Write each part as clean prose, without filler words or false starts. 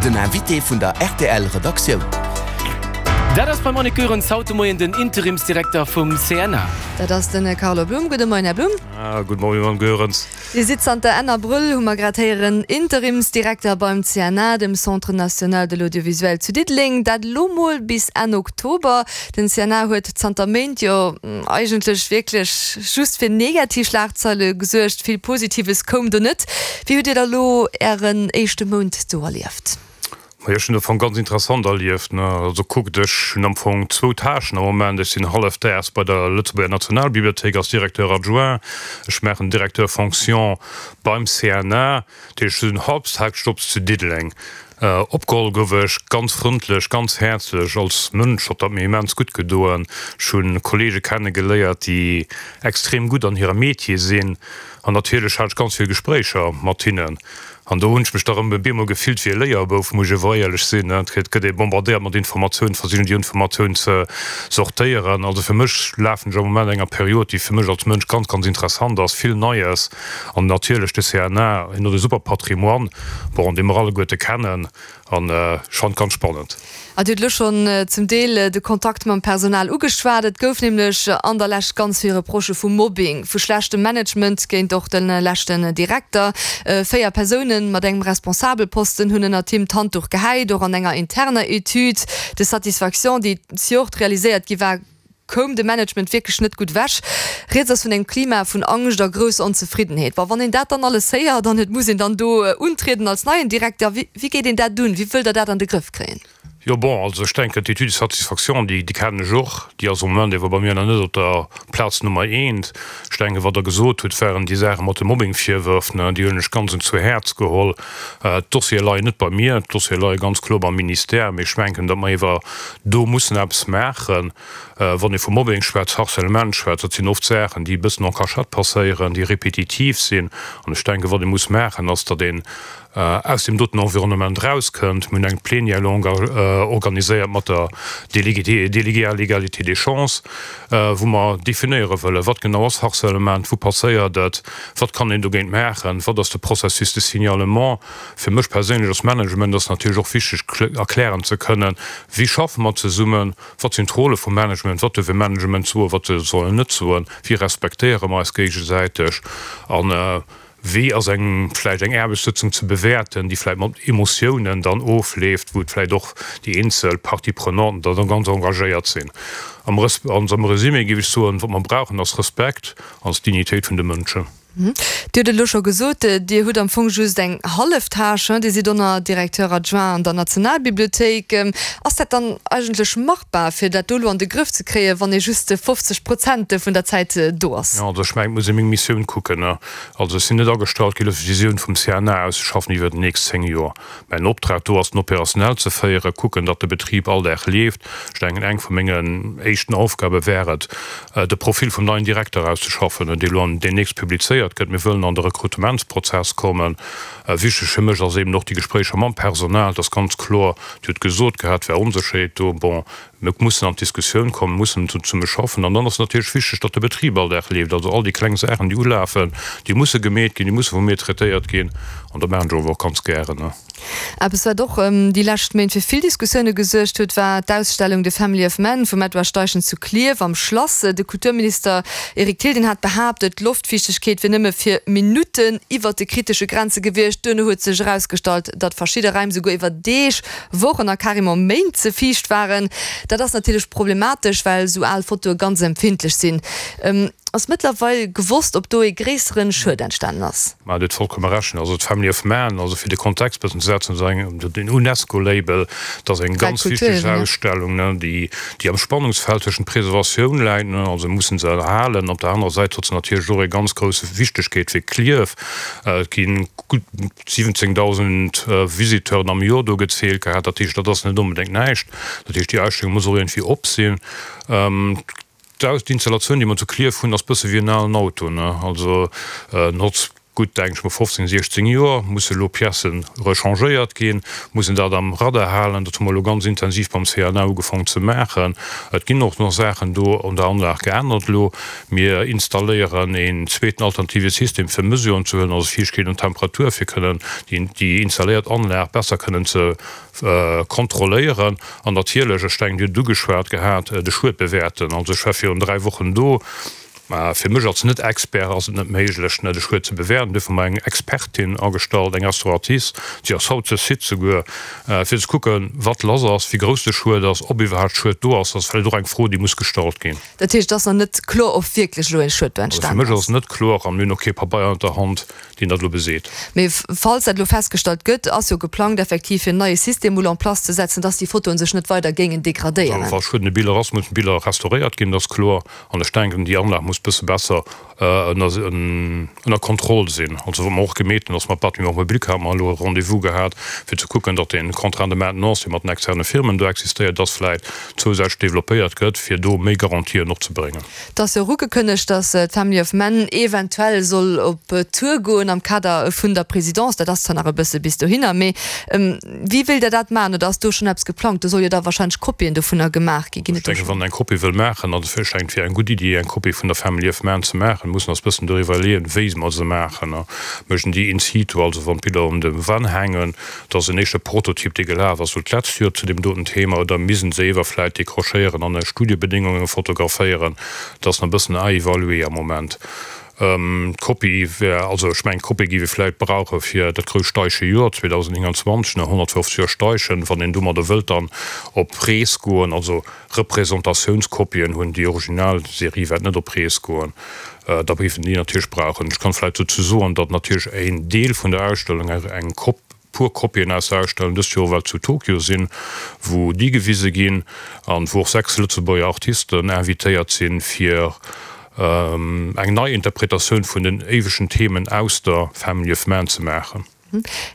Den Invité vun der rtl Redaktioun. Dat ass beim Annick Goerens haut de Moien den Interimsdirekter vum CNA. Dat ass de Carlo Blum. Gudde Moien, Här Blum. Gudde Moien, Mme Goerens. Dir sidd zanter Enn Abrëll, hu mer grad héieren, Interimsdirekter beim CNA, dem Centre national de l'audiovisuel zu Diddeleng. Dat elo mol bis Enn Oktober. Den CNA huet zanter Méint jo eigentlech wierklech just fir negativ Schlagzeile gesuergt. Vill Positives koum do net. Wéi hutt Dir da lo Ären éischte Mount do erlieft? Majo, ech hunn am Fong ganz interessant erlieft. Also kuckt, ech hunn am Fong zwou Tâchen am Moment. Ech sinn hallefdaags bei der Lëtzebuerger Nationalbibliothéik als Directeur adjoint. Ech maachen Directeur fonction beim CNA. Dat heescht, ech hunn Halbtagsjobs zu Diddeleng. Opgeholl gouf ech ganz frëndlech, ganz häerzlech. Als Mënsch huet dat mir immens gutt gedoen. Ech hu Kollege kenne geléiert, déi extrem gutt an hirem Metier sinn. An natierlech hat ech ganz vill Gespréicher mat hinnen. An do hunn ech mech da rëm e bemol gefillt wéi e Léierbouf, muss ech ewer éierlech sinn. Et gëtt ee bombardéiert mat Informatiounen, versichen déi Informatiounen ze sortéieren. Also fir mech lafen ech am Moment enger Period, déi fir mech als Mënsch ganz, ganz interessant ass, vill Neies. An natierlech de CNA, hien huet e super Patrimoine, bon, dee mer alleguerte kennen. An ech fannen et ganz spannend. A Dir hutt elo schonn zum Deel de Kontakt mam Personal ugeschwat. Et gouf nämlech an der Lescht ganz vill Reprochë vu Mobbing, vu schlechtem Management géint och de leschten Direkter. 4 Persoune mat engem Responsabelposten hunn ënnert him d'Handduch gehäit. Och an enger interner Etüd de satisfaction, déi zejoert realiséiert gi war, koum de Management wierklech net gutt ewech. Rieds ass vun engem Klima vun Angscht a grousser Onzefriddenheet. Bon, wann een dat dann alles héiert an et muss een dann do untrieden als neien Direkter, wéi wéi geet een dat un? Wéi wëllt Der dat an de Grëff kréien? Jo, bon, also ech denken, d'Étude de satisfaction, déi, déi kennen ech och, déi ass am Moment ewer bei mir nach net op der Plaz Nummer eent. Ech denken, wat Der gesot hutt, waren déi Saache mat de Mobbingvirwërf, ne, déi hunn ech ganz un zu Häerz geholl. D'Dossiere leien net bei mir, d'Dossiere leie ganz kloer beim Ministère, mee ech menken, datt mer ewer do mussen eppes maachen. Wann ee vu Mobbing schwätzt, Harcèlement schwätzt, dat sinn oft Saachen, déi e bëssen en cachette passéieren, déi répétitiv sinn. An ech denken, wat ee muss maachen, ass, datt een aus deem doten Environnement erauskënnt. Mir hunn eng Plénière longue organiséiert mat der Déléguée à l'égalité des chances, wou mer definéiere wëllen, wat genau ass Harcèlement, wou passéiert et, wat kann een dogéint maachen, wat ass de Processus de signalement. Fir mech perséinlech als Management ass natierlech och wichteg erklären ze kënnen, wéi schaffe mer zesummen, Wat sinn d'Rôle vum Management? Wat duerf e Management soen, wat soll en net soen? Wéi respektéiere mer eis géigesäiteg? A wéi ass eng vläicht eng Aarbechtssëtzung ze bewäerten, déi vläicht mat Emotiounen dann ofleeft, wou vläicht och déi eenzel Parties prenanten da ganz engagéiert sinn? Am Resumé géif ech soen, wat mer brauchen, ass Respekt an d'Dignitéit vun de Mënschen. Dir hutt et elo scho gesot, Dir hutt am Fong just eng hallef Tâche, Dir sidd ënner Directeur adjoint an der Nationalbibliothéik. Ass dat dann eigentlech machbar, fir dat do elo an de Grëff ze kréien, wann ee just 50 Prozent vun der Zäit do ass? Jo, also ech mengen, et muss ee meng Missioun kucken. Also ech sinn net agestallt ginn, fir d'Visioun vum CNA auszeschaffen iwwer déi nächst 10 Joer. Mäin Optrag do ass, den Opérationnel ze féieren, kucken, datt de Betrib all Dag leeft. Ech denken, eng vu mengen éischten Aufgabe wär et, de Profil vum neien Direkter auszeschaffen, dee elo an deemnächst publizéiert gëtt. Mir wëllen an de Rekrutementsprozess kommen. Wichteg fir mech ass eben och déi Gespréicher mam Personal. Et ass ganz kloer, Dir hutt gesot gehat, et wär Onsécherheet do. Bon, mir mussen an d'Diskussioun kommen, mussen zesumme schaffen. An dann ass et natierlech wichteg, datt de Betrib all Dag leeft. Also all déi kleng Saachen, déi ulafen, déi musse gemeet ginn, déi musse vu mir traitéiert ginn. An dat maachen ech awer och ganz gären. Eppes, wat och déi lescht Méint fir vill Diskussioune gesuergt huet, war d'Ausstellung The Family of Man vum Edward Steichen zu Klierf am Schlass. De Kulturminister Eric Thill, deen hat behaapt, d'Loftfiichtegkeet wier nëmme fir Minutten iwwert de kritesche Grenze gewiescht. Duerno huet sech erausgestallt, datt verschidde Raim souguer iwwer Deeg, Wochen a carrément Méint ze fiicht waren. Dat ass natierlech problematesch, well esou al Fotoe ganz empfindlech sinn. Ass mëttlerweil gewosst, ob do ee gréissere Schued entstanen ass? Mä Dir hutt vollkomme Recht. Also d'Family of Man, also fir de Kontext e bëssen ze setzen, ass eng, den UNESCO-Label, dat ass eng ganz wichteg Ausstellung, déi, déi am Spannungsfeld tëschent Preservatioun läit, also mir mussen se erhalen, op der anerer Säit huet se natierlech och eng ganz grouss Wichtegkeet fir Klierf. Et gi gutt 17.000 Visiteuren am Joer do gezielt gehat. Dat heescht, dat ass net onbedéngt näischt. Dat heescht, déi Ausstellung muss och iergendwéi op sinn. D'installatioun, déi mer zu Klierf hunn, ass bësse wéi en alen Auto, ne? Also en hott. Gutt, denken ech mol, 15, 16 Joer, musse elo Piècen rechangéiert ginn, mussen dat am Radar halen. Dat hu mer elo ganz intensiv beim CNA ugefaangen ze maachen. Et ginn och nach Saachen do an der Anlag geännert elo. Mir installéieren een zweeten alternative System fir Mesuren ze huelen, also Fiichtegkeet an Temperatur, fir kënnen déi installéiert Anlag besser kënnen ze kontrolléieren. An natierlech, ech denken, Dir hutt et ugeschwat gehat, de Schued bewäerten. Also ech war virun 3 Wochen do. Mä fir mech als Net-Expert ass et net méiglech, de Schued ze bewäerten. Duerfir hu mer eng Expertin agestallt, eng Restauratrice, si ass haut sur site souguer, fir ze kucken, wat lass ass, wéi grouss de Schued ass, ob iwwerhaapt Schued do ass. Dat ass vläicht och eng Fro, déi muss gestallt ginn. Dat heescht, et ass nach net kloer, ob wierklech elo ee Schued do Also fir entstan mech ass ass? et net kloer a mir hunn och kee Pabeier an der Hand, deen dat elo beseet. Mee falls dat elo festgestallt gëtt, ass jo geplangt, effektiv fir en neie System mol en place ze setzen, dass déi Fotoen sech net weider géingen degradéieren. Also wa Schued un de Biller ass, mussen d'Biller restauréiert ginn, dat ass kloer. An ech denken, déi Anlag muss bësse besser ënner Kontroll sinn. Also wat mer och gemeet hunn, ass mat Bâtiments publics hate mer elo e Rendez-vous gehat, fir ze kucken, datt dee Contrat de maintenance, dee mat den externe Firmen do existéiert, dass vläicht zousätzlech développéiert gëtt, fir do méi Garantien och ze bréngen. Et ass jo och ugekënnegt, datt d'Family of Man eventuell soll op Tour goen am Kader vun der Présidence. Dat ass zwar nach e bësse bis dohinner, mee Wéi wéilt Der dat maachen? Oder ass do schonn eppes geplangt? Do soll jo da wahrscheinlech Kopien dovunner gemaach ginn. Ginn et do schonn? Ech denken, wann een eng Kopie wëll maachen, an ech denken, et wier eng gutt Iddi, eng Kopie vun der Family of Man ze maachen, mussen eis bëssen doriwwer iwwerleeën, wéi mer se maachen. Mécht een déi in situ, also wann d'Biller un de Wänn hängen, dat ass en éischte Prototyp, dee gelaf ass elo d'letzt Joer zu deem doten Thema, oder misst een se ewer vläicht décrochéieren an a Studiobedéngunge fotograféieren? Dat ass nach e bëssen à évaluer am Moment. D'Kopie wär, also ech mengen, d'Kopie géif ee vläicht brauche fir dat grousst Steiche Joer 2029, ne, 150 Joer Steichen, wann een domadder wëllt dann op Rees goen, also Representatiouns-Kopien hunn, déi original Serie wäert net op Rees goen, da géif een déi natierlech brauchen. Ech kann vläicht dozou soen, datt natierlech een Deel vun der Ausstellung eng Kop, puer Kopien aus der Ausstellung dëst Joer well zu Tokio sinn, wou déi gewise ginn an wou och 6 Lëtzebuerger Artisten invitéiert sinn, fir eng nei Interpretatioun vun den éiwegen Themen aus der Family of Man ze maachen.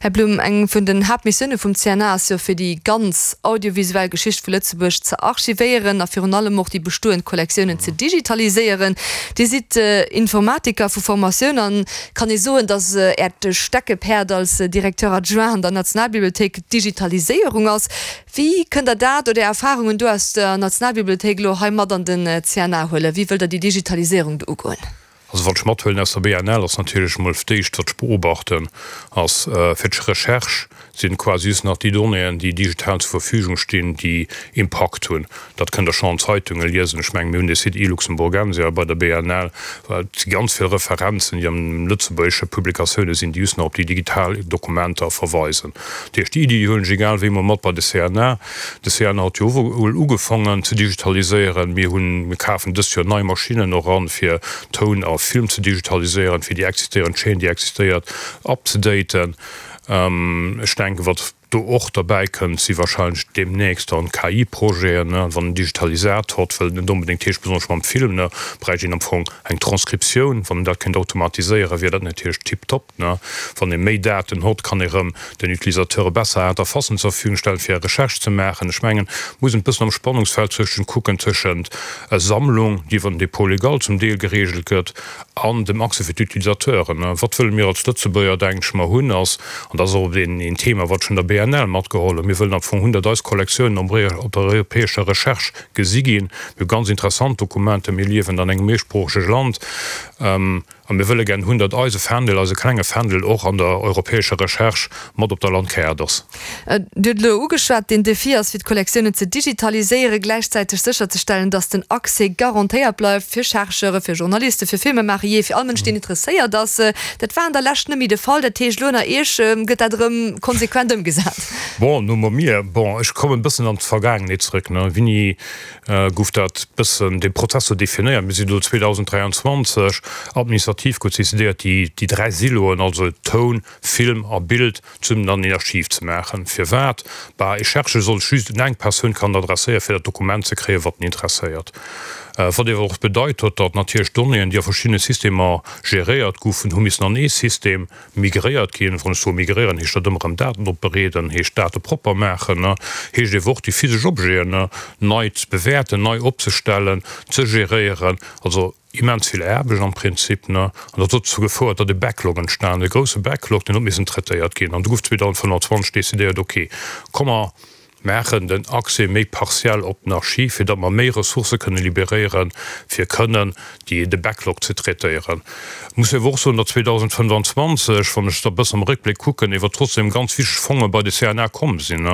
Här Blum, eng vun den Haaptmissioune vum CNA ass jo, fir déi ganz audiovisuell Geschicht vu Lëtzebuerg ze archivéieren a virun allem och déi bestoend Kollektiounen ze digitaliséieren. Dir sidd Informatiker vu Formatioun an Kann ee soen, datt Äert Steckepäerd als Directeur adjoint an der Nationalbibliothéik d'Digitaliséierung ass? Wéi kënnt Der dat oder Är Erfarungen do aus der Nationalbibliothéik elo hei mat an den CNA huelen? Wéi wëllt Der déi Digitaliséierung do ugoen? Also wat ech mathuelen aus der BNL ass natierlech emol d'éischt, wat ech beobachten, ass fir d'Recherche sinn quasi just nach déi Donnéeën, déi digital zur Verfügung stinn, déi Impakt hunn. Dat kënnt Der schonn an Zeitunge liesen. Ech mengen, mir hunn dee Site e-Luxemburgensia bei der BNL. Et si ganz vill Referenzen, déi an lëtzebuergesche Publikatioune sinn, déi just nach op déi digital Dokumenter verweisen. Dat heescht, déi Iddi huelen ech egal wéi mol mat bei de CNA. De CNA huet jo och elo ugefaangen ze digitaliséieren. Mir hunn, mir kafen dëst Joer nei Maschinnen och an, fir Toun a Film ze digitaliséieren, fir déi existéierend Chaîne, déi existéiert, upzedaten. Ech denken, wat do och derbäi kënnt, si wahrscheinlech deemnächst dann KI-Projeten. Wann en Digitalisator huet, wëllt net onbedéngt heescht, besonnesch mam Film, bräicht een am Fong eng Transkriptioun. Wann en dat kéint automatiséieren, wier dat natierlech tiptop. Wann ee méi Daten hott, kann ee rëm den Utilisateure besser Interfacen zur Verfügung stellen, fir Recherche ze maachen. Ech mengen, et muss een e bëssen am Spannungsfeld zwëschen kucken, tëschent Sammlung, déi iwwer den Dépôt légal zum Deel geregelt gëtt, An dem Accès fir d'Utilisateuren. Wat wëlle mir als Lëtzebuerger, denken ech mer, hunn, ass, an dat ass och een Thema, wat ech vun der BNL matgeholl hunn, mir wëllen am Fong hunn, datt eis Kollektiounen op der europäescher Recherche gesi ginn. Mir hu ganz interessant Dokumenter, mir liewen an engem méisproochege Land a mir wëlle gären hunn, datt eise Fändel, eise klenge Fändel och an der europäescher Recherche mat op der Landkaart ass. Dir hutt elo ugeschwat, den Defi ass fir d'Kollektiounen ze digitaliséieren, gläichzäiteg sécherzestellen, datt den Accès garantéiert bleift fir Chercheure, fir Journalisten, fir Filmemaacher, jee fir all Mënsch deen interesséiert ass. Dat war an der Lescht net méi de Fall. Dat heescht, elo ënner Iech gëtt dat erëm konsequent ëmgesat. Bon, no mer mir, bon, ech kommen e bëssen an d'Vergaangenheet zrëck, ne. Wéini gouf dat bëssen, dee Prozess sou definéiert? Mir sinn elo 2023, administrativ gouf decidéiert, déi, déi 3 Siloen, also Toun, Film a Bild, zesummen dann een Archiv ze maachen. Firwat? Bah, ee Chercheur soll sech just un eng Persoun kann adresséieren, fir dat Dokument ze kréien, wat en interesséiert. Wat ewer och bedeit huet, datt natierlech d'Donnéeën, déi a verschiddene Systemer geréiert goufen, hu missen an ee System migréiert ginn. Wann ech soe migréieren, heescht dat ëmmer erëm Daten opbereeden, heescht Date propper maachen, heescht ewer och déi physesch Objeten nei ze bewäerten, nei opzestellen, ze geréieren. Also immens vill Aarbecht am Prinzip. An dat huet dozou gefouert, datt e Backlog entstanen, e grousse Backlog, deen huet missen traitéiert ginn. An du gouf 2025 decidéiert, okay, komm mer maachen den Accès méi partiell op den Archiv, fir datt mer méi Ressourcë kënne libéréieren, fir kënnen déi, de Backlog ze traitéieren. Et muss ee awer och soen, datt 2025, wann ech da e bëssen am Réckbléck kucken, ewer trotzdem ganz wichteg Fonge bei de CNA komm sinn.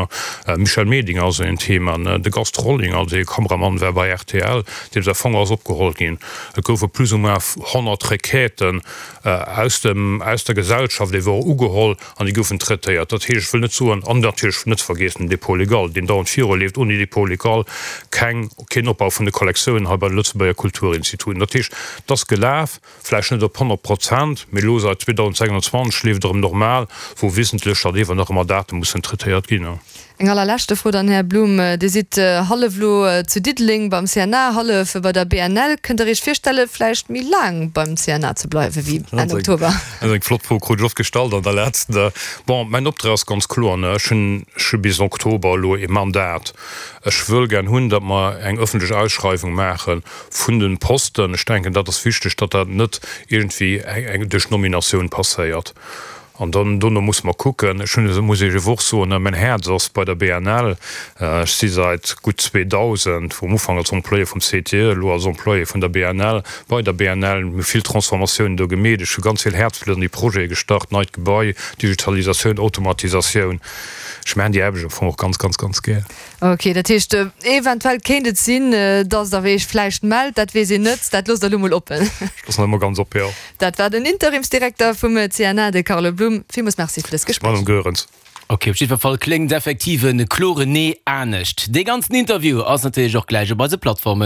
Michel Medinger ass en Thema, de Gast Rollinger, dee Kameramann war bei rtl, deem säi Fong ass opgeholl ginn. Et goufe plus ou moins 100 Requêten aus dem, aus der Gesellschaft ewer och ugeholl an déi goufen traitéiert. Dat heescht, ech wëll net soen, an natierlech net ze vergeessen den Dépôt légal, deen dauernd viruleeft, ouni Dépôt légal keng, keen Opbau vun de Kollektiounen hei bei de Lëtzebuerger Kulturinstituten. Dat heescht, et ass gelaf, vläicht net op 100 Prozent, mee elo seit 2026 leeft et erëm normal, wou wissentlech datt ewer nach ëmmer Date mussen traitéiert ginn. Eng allerleschte Fro dann, Här Blum, Dir sidd hallef elo zu Diddeleng beim CNA, hallef bei der BNL. Kënnt Der Iech virstelle vläicht méi laang beim CNA ze bleiwe wéi Enn Oktober? Dat ass eng flott Fro, krut ech oft gestallt an der letzter. Bon, mäin Optrag ass ganz kloer, ech hunn ech hu bis Oktober elo ee Mandat. Ech wëll gär hunn, datt mer eng ëffentlech Ausschreiwung maache vun de Posten. Ech denken, dat ass wichteg, datt dat net iergendwéi eng duerch Nominatioun passéiert. An dann dono musse mer kucken. Ech hunn, muss Iech ewer och soen, mäin Häerz ass bei der BNL. Ech si seit gutt 2000, um Ufank als Employé vum CTE, elo als Employé vun der BNL, bei der BNL. Mir hu vill Transformatiounen do gemeet. Ech hu ganz vill Häerzblutt an déi Projete gestach, neit Gebai, Digitalisatioun, Automatisatioun. Ech maachen déi Aarbecht am Fong och ganz, ganz, ganz gär. Ok, dat heescht, eventuell kéint et sinn, dass Der Iech vläicht mellt, dat weess een net, dat loosst Der elo mol oppen. Ech loossen dat emol ganz op, jo. Dat war den Interimsdirekter vum CNA, de Carlo Blum. Villmools Merci fir dëst Gespréich. Madame Goerens. Ok, op jiddwer Fall kléngt effektiv e kloren Nee anescht. Dee ganzen Interview ass natierlech och gläich op eise Plattformen.